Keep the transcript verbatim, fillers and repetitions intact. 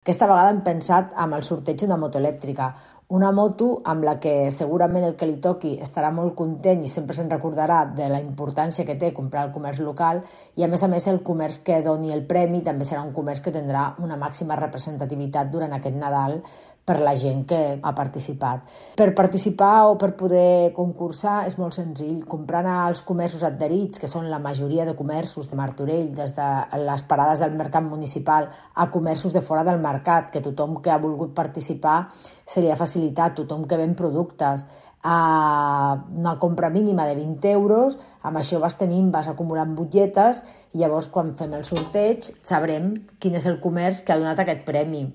Aquesta vegada hem pensat amb el sorteig d'una moto elèctrica, una moto amb la que segurament el que li toqui estarà molt content i sempre se'n recordarà de la importància que té comprar al comerç local, i a més a més el comerç que doni el premi també serà un comerç que tindrà una màxima representativitat durant aquest Nadal per la gent que ha participat. Per participar o per poder concursar és molt senzill. Comprant als comerços adherits, que són la majoria de comerços de Martorell, des de les parades del mercat municipal a comerços de fora del mercat, que tothom que ha volgut participar se li ha facilitat, tothom que ven productes a una compra mínima de vint euros, amb això vas tenint, vas acumulant butlletes, i llavors quan fem el sorteig sabrem quin és el comerç que ha donat aquest premi.